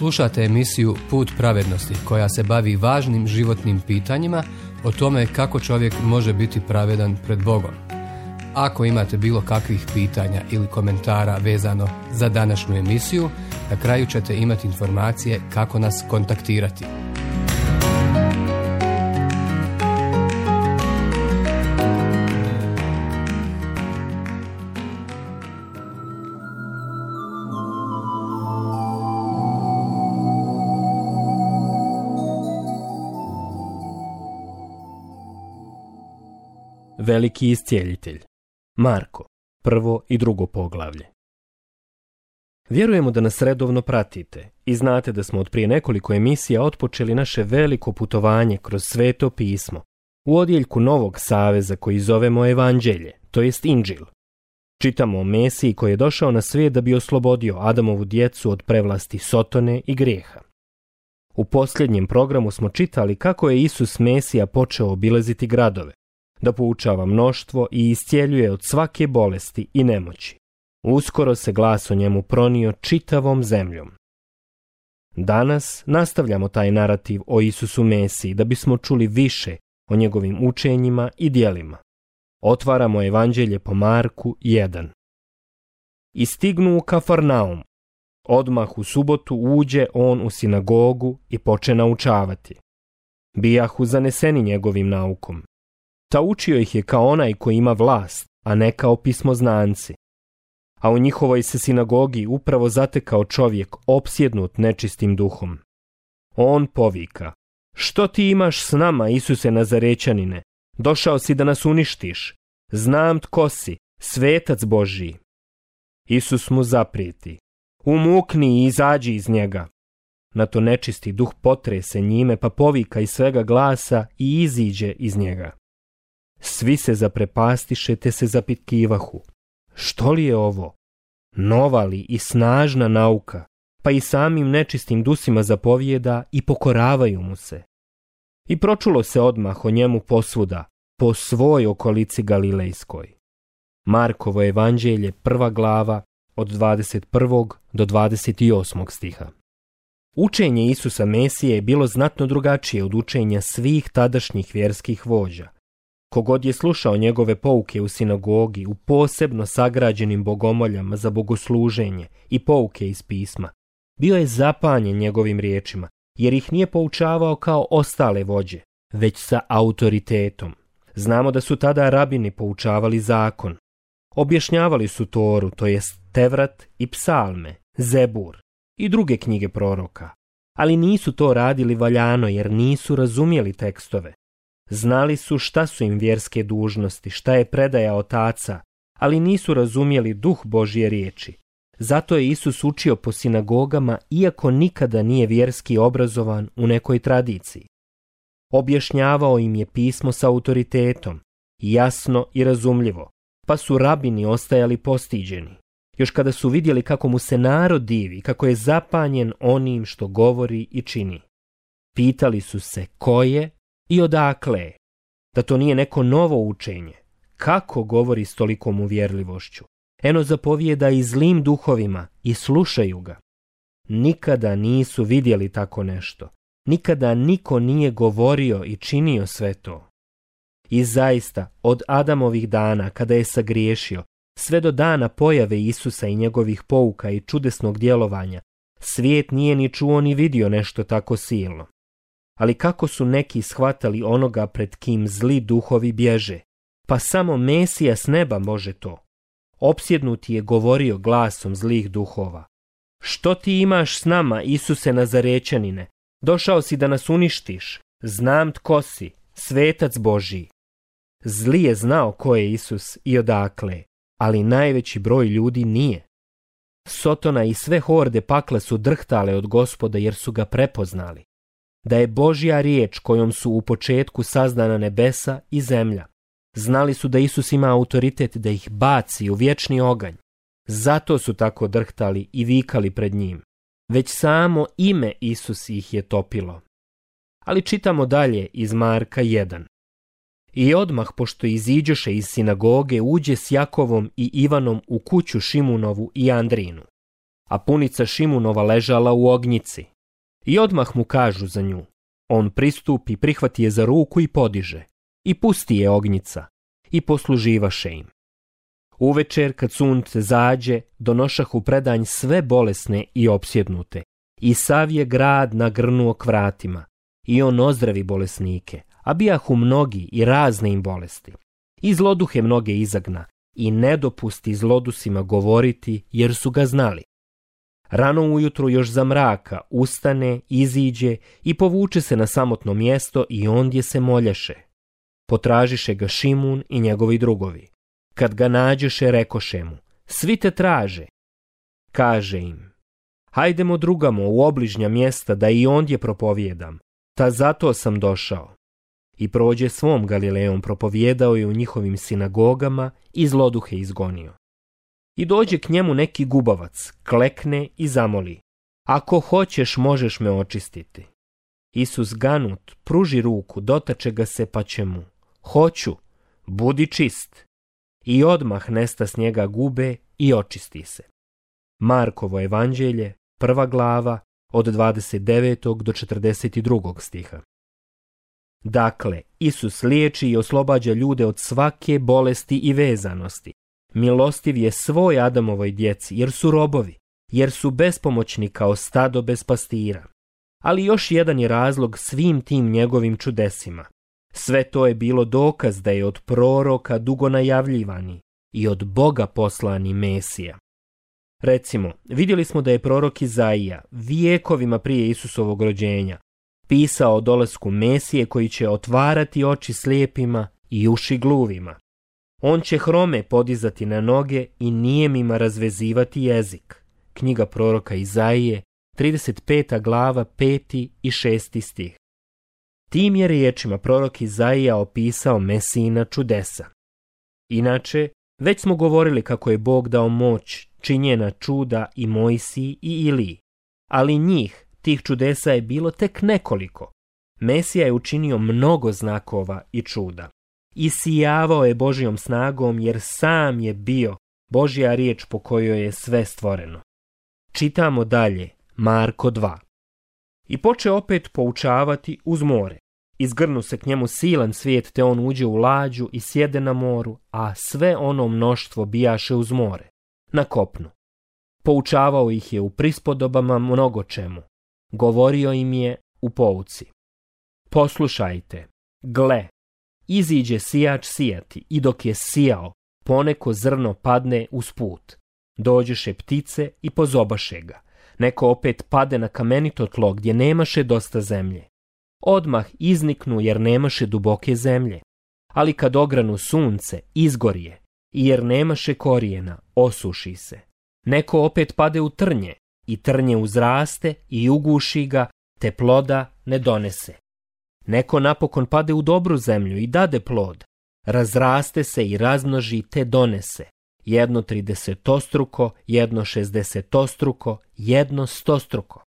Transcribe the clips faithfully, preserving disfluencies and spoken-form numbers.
Slušate emisiju Put pravednosti koja se bavi važnim životnim pitanjima o tome kako čovjek može biti pravedan pred Bogom. Ako imate bilo kakvih pitanja ili komentara vezano za današnju emisiju, na kraju ćete imati informacije kako nas kontaktirati. Veliki iscijeljitelj. Marko, prvo i drugo poglavlje. Vjerujemo da nas redovno pratite i znate da smo od prije nekoliko emisija otpočeli naše veliko putovanje kroz Sveto pismo u odjeljku Novog saveza koji zovemo Evanđelje, to jest Inđil. Čitamo o Mesiji koji je došao na svijet da bi oslobodio Adamovu djecu od prevlasti Sotone i grijeha. U posljednjem programu smo čitali kako je Isus Mesija počeo obilaziti gradove, da poučava mnoštvo i iscijeljuje od svake bolesti i nemoći. Uskoro se glas o njemu pronio čitavom zemljom. Danas nastavljamo taj narativ o Isusu Mesiji da bismo čuli više o njegovim učenjima i djelima. Otvaramo Evanđelje po Marku jedan. I stignu u Kafarnaum. Odmah u subotu uđe on u sinagogu i poče naučavati. Bijahu zaneseni njegovim naukom. Ta učio ih je kao onaj koji ima vlast, a ne kao pismoznanci. A u njihovoj se sinagogi upravo zatekao čovjek opsjednut nečistim duhom. On povika: što ti imaš s nama, Isuse Nazarećanine? Došao si da nas uništiš. Znam tko si, svetac Božji. Isus mu zaprijeti: umukni i izađi iz njega. Na to nečisti duh potrese njime, pa povika iz svega glasa i iziđe iz njega. Svi se zaprepastiše te se zapitkivahu: što li je ovo? Nova li i snažna nauka, pa i samim nečistim dusima zapovijeda i pokoravaju mu se. I pročulo se odmah o njemu posvuda, po svoj okolici Galilejskoj. Markovo Evanđelje, prva glava, od dvadeset prvog do dvadeset osmog stiha. Učenje Isusa Mesije je bilo znatno drugačije od učenja svih tadašnjih vjerskih vođa. Kogod je slušao njegove pouke u sinagogi, u posebno sagrađenim bogomoljama za bogosluženje i pouke iz pisma, bio je zapanjen njegovim riječima, jer ih nije poučavao kao ostale vođe, već sa autoritetom. Znamo da su tada rabini poučavali zakon. Objašnjavali su Toru, to jest Tevrat i Psalme, Zebur i druge knjige proroka, ali nisu to radili valjano jer nisu razumjeli tekstove. Znali su šta su im vjerske dužnosti, šta je predaja otaca, ali nisu razumjeli duh Božje riječi. Zato je Isus učio po sinagogama, iako nikada nije vjerski obrazovan u nekoj tradiciji. Objašnjavao im je pismo s autoritetom, jasno i razumljivo, pa su rabini ostajali postiđeni. Još kada su vidjeli kako mu se narod divi, kako je zapanjen onim što govori i čini. Pitali su se ko je i odakle je, da to nije neko novo učenje. Kako govori s tolikom uvjerljivošću? Eno zapovijeda i zlim duhovima i slušaju ga. Nikada nisu vidjeli tako nešto. Nikada niko nije govorio i činio sve to. I zaista, od Adamovih dana, kada je sagriješio, sve do dana pojave Isusa i njegovih pouka i čudesnog djelovanja, svijet nije ni čuo ni vidio nešto tako silno. Ali kako su neki shvatali onoga pred kim zli duhovi bježe? Pa samo Mesija s neba može to. Opsjednuti je govorio glasom zlih duhova: što ti imaš s nama, Isuse Nazarećanine? Došao si da nas uništiš. Znam tko si, svetac Božji. Zli je znao ko je Isus i odakle, ali najveći broj ljudi nije. Sotona i sve horde pakla su drhtale od Gospoda jer su ga prepoznali. Da je Božja riječ kojom su u početku sazdana nebesa i zemlja. Znali su da Isus ima autoritet da ih baci u vječni oganj. Zato su tako drhtali i vikali pred njim. Već samo ime Isus ih je topilo. Ali čitamo dalje iz Marka jedan. I odmah, pošto iziđoše iz sinagoge, uđe s Jakovom i Ivanom u kuću Šimunovu i Andrinu. a punica Šimunova ležala u ognjici. I odmah mu kažu za nju. On pristupi, prihvati je za ruku i podiže. I pusti je ognjica. I posluživaše im. Uvečer, kad sunce zađe, donošahu predanj sve bolesne i opsjednute. I sav je grad nagrnuo k vratima. I on ozdravi bolesnike, a bijahu mnogi i razne im bolesti. I zloduhe mnoge izagna, i ne dopusti zlodusima govoriti, jer su ga znali. Rano ujutru još za mraka ustane, iziđe i povuče se na samotno mjesto i ondje se molješe. Potražiše ga Šimun i njegovi drugovi. Kad ga nađeše, rekoše mu, svi te traže. Kaže im, hajdemo drugamo u obližnja mjesta da i ondje propovijedam, ta zato sam došao. I prođe svom Galilejom, propovijedao je u njihovim sinagogama i zloduhe izgonio. I dođe k njemu neki gubavac, klekne i zamoli, ako hoćeš možeš me očistiti. Isus ganut pruži ruku, dotače ga se pa će mu, hoću, budi čist. I odmah nesta s njega gube i očisti se. Markovo evanđelje, prva glava, od dvadeset devetog do četrdeset drugog stiha. Dakle, Isus liječi i oslobađa ljude od svake bolesti i vezanosti. Milostiv je svoj Adamovoj djeci, jer su robovi, jer su bespomoćni kao stado bez pastira. Ali još jedan je razlog svim tim njegovim čudesima. Sve to je bilo dokaz da je od proroka dugo najavljivani i od Boga poslani Mesija. Recimo, vidjeli smo da je prorok Izaija vijekovima prije Isusovog rođenja pisao o dolasku Mesije koji će otvarati oči slijepima i uši gluvima. On će hrome podizati na noge i nijemima razvezivati jezik. Knjiga proroka Izaije, trideset peta glava, peti i šesti stih. Tim je riječima prorok Izaija opisao Mesijina čudesa. Inače, već smo govorili kako je Bog dao moć činjena čuda i Mojsiji i Iliji, ali njih, tih čudesa je bilo tek nekoliko. Mesija je učinio mnogo znakova i čuda. Isijavao je Božjom snagom jer sam je bio Božja riječ po kojoj je sve stvoreno. Čitamo dalje, Marko dva. I poče opet poučavati uz more. Izgrnu se k njemu silan svijet, te on uđe u lađu i sjede na moru, a sve ono mnoštvo bijaše uz more, na kopnu. Poučavao ih je u prispodobama mnogo čemu. Govorio im je u pouci. Poslušajte, gle, iziđe sijač sijati i dok je sijao, poneko zrno padne uz put. Dođeše ptice i pozobaše ga. Neko opet pade na kamenito tlo gdje nemaše dosta zemlje. Odmah izniknu jer nemaše duboke zemlje. Ali kad ogranu sunce, izgorje, i jer nemaše korijena, osuši se. Neko opet pade u trnje, i trnje uzraste i uguši ga, te ploda ne donese. Neko napokon pade u dobru zemlju i dade plod, razraste se i razmnoži te donese. Jedno tridesetostruko, jedno šezdesetostruko, jedno stostruko.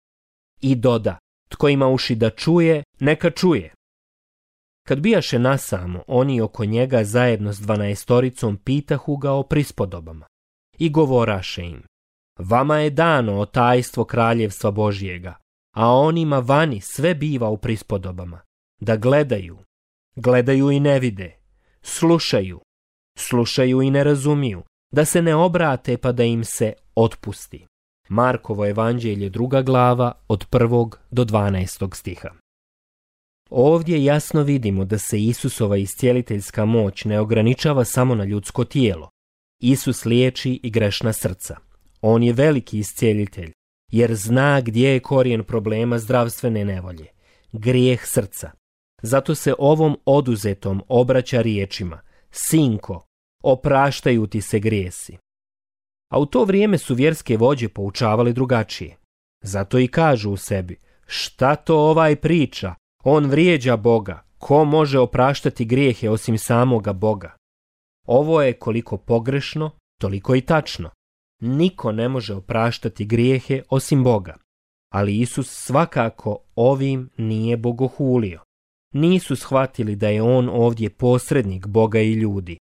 I doda, tko ima uši da čuje, neka čuje. Kad bijaše nasamo, oni oko njega zajedno s dvanaestoricom pitahu ga o prispodobama. I govoraše im, vama je dano o tajstvo kraljevstva Božjega, a onima vani sve biva u prispodobama. Da gledaju, gledaju i ne vide, slušaju, slušaju i ne razumiju, da se ne obrate pa da im se otpusti. Markovo evanđelje druga glava od prvog do dvanaestog stiha. Ovdje jasno vidimo da se Isusova iscijeliteljska moć ne ograničava samo na ljudsko tijelo. Isus liječi i grešna srca. On je veliki iscijelitelj, jer zna gdje je korijen problema zdravstvene nevolje. Grijeh srca. Zato se ovom oduzetom obraća riječima, sinko, opraštaju ti se grijesi. A u to vrijeme su vjerske vođe poučavali drugačije. Zato i kažu u sebi, šta to ovaj priča, on vrijeđa Boga, ko može opraštati grijehe osim samoga Boga? Ovo je koliko pogrešno, toliko i tačno. Niko ne može opraštati grijehe osim Boga. Ali Isus svakako ovim nije bogohulio. Nisu shvatili da je on ovdje posrednik Boga i ljudi.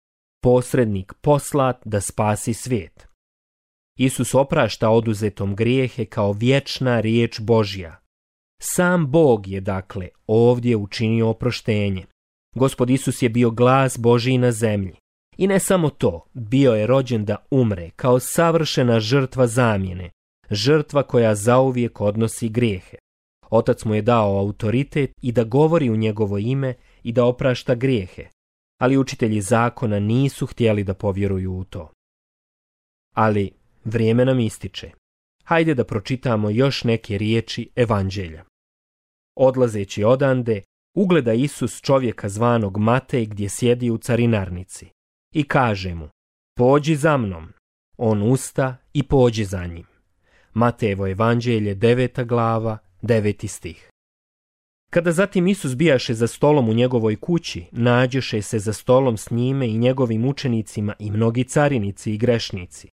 Posrednik poslat da spasi svijet. Isus oprašta oduzetom grijehe kao vječna riječ Božja. Sam Bog je, dakle, ovdje učinio oproštenje. Gospod Isus je bio glas Božji na zemlji. I ne samo to, bio je rođen da umre kao savršena žrtva zamjene, žrtva koja zauvijek odnosi grijehe. Otac mu je dao autoritet i da govori u njegovo ime i da oprašta grijehe, ali učitelji zakona nisu htjeli da povjeruju u to. Ali vrijeme nam ističe. Hajde da pročitamo još neke riječi evanđelja. Odlazeći odande, ugleda Isus čovjeka zvanog Matej gdje sjedi u carinarnici i kaže mu: pođi za mnom. On usta i pođi za njim. Matejevo evanđelje, deveta glava, deveti stih. Kada zatim Isus bijaše za stolom u njegovoj kući, nađoše se za stolom s njime i njegovim učenicima i mnogi carinici i grešnici.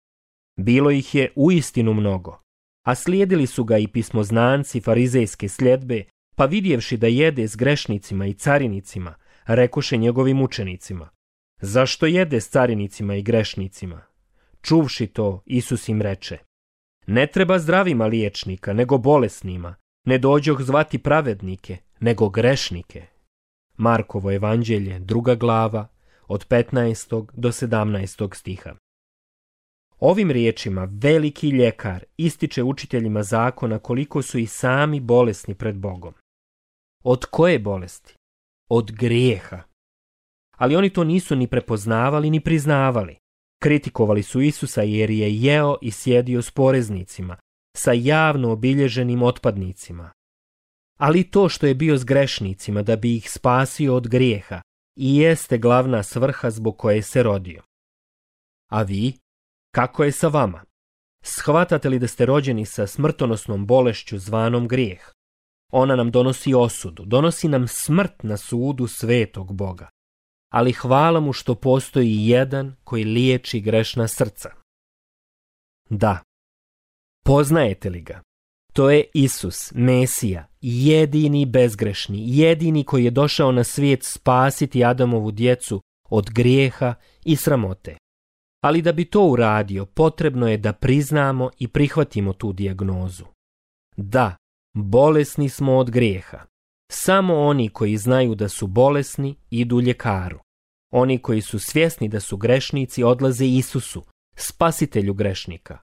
Bilo ih je uistinu mnogo, a slijedili su ga i pismoznanci farizejske sljedbe, pa vidjevši da jede s grešnicima i carinicima, rekoše njegovim učenicima: zašto jede s carinicima i grešnicima? Čuvši to, Isus im reče: ne treba zdravima liječnika, nego bolesnima, ne dođoh zvati pravednike, nego grešnike. Markovo evanđelje, druga glava, od petnaestog do sedamnaestog stiha. Ovim riječima veliki ljekar ističe učiteljima zakona koliko su i sami bolesni pred Bogom. Od koje bolesti? Od grijeha. Ali oni to nisu ni prepoznavali ni priznavali. Kritikovali su Isusa jer je jeo i sjedio s poreznicima, sa javno obilježenim otpadnicima. Ali to što je bio s grešnicima da bi ih spasio od grijeha i jeste glavna svrha zbog koje se rodio. A vi? Kako je sa vama? Shvatate li da ste rođeni sa smrtonosnom bolešću zvanom grijeh? Ona nam donosi osudu, donosi nam smrt na sudu svetog Boga. Ali hvala mu što postoji jedan koji liječi grešna srca. Da. Poznajete li ga? To je Isus, Mesija, jedini bezgrešni, jedini koji je došao na svijet spasiti Adamovu djecu od grijeha i sramote. Ali da bi to uradio, potrebno je da priznamo i prihvatimo tu dijagnozu. Da, bolesni smo od grijeha. Samo oni koji znaju da su bolesni idu ljekaru. Oni koji su svjesni da su grešnici odlaze Isusu, spasitelju grešnika.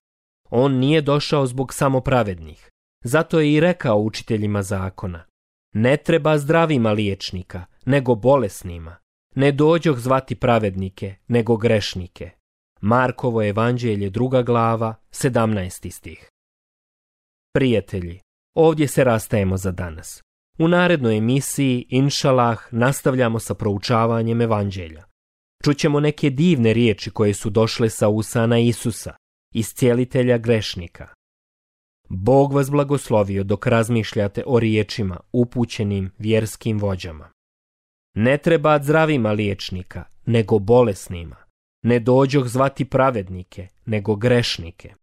On nije došao zbog samopravednih. Zato je i rekao učiteljima zakona: ne treba zdravima liječnika, nego bolesnima. Ne dođoh zvati pravednike, nego grešnike. Markovo evanđelje, druga glava, sedamnaesti stih. Prijatelji, ovdje se rastajemo za danas. U narednoj emisiji, inšalah, nastavljamo sa proučavanjem evanđelja. Čućemo neke divne riječi koje su došle sa usana Isusa, iscijelitelja grešnika. Bog vas blagoslovio dok razmišljate o riječima upućenim vjerskim vođama. Ne treba zdravima liječnika, nego bolesnima. Ne dođoh zvati pravednike, nego grešnike.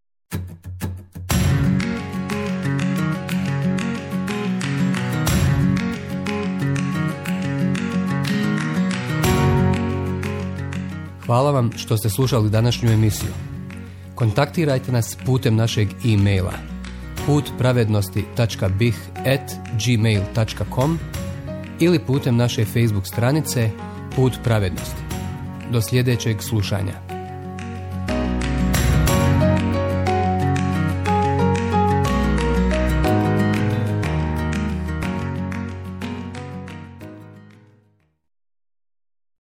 Hvala vam što ste slušali današnju emisiju. Kontaktirajte nas putem našeg e-maila put pravednosti tačka b i h at gmail tačka com ili putem naše Facebook stranice Put pravednosti. Do sljedećeg slušanja.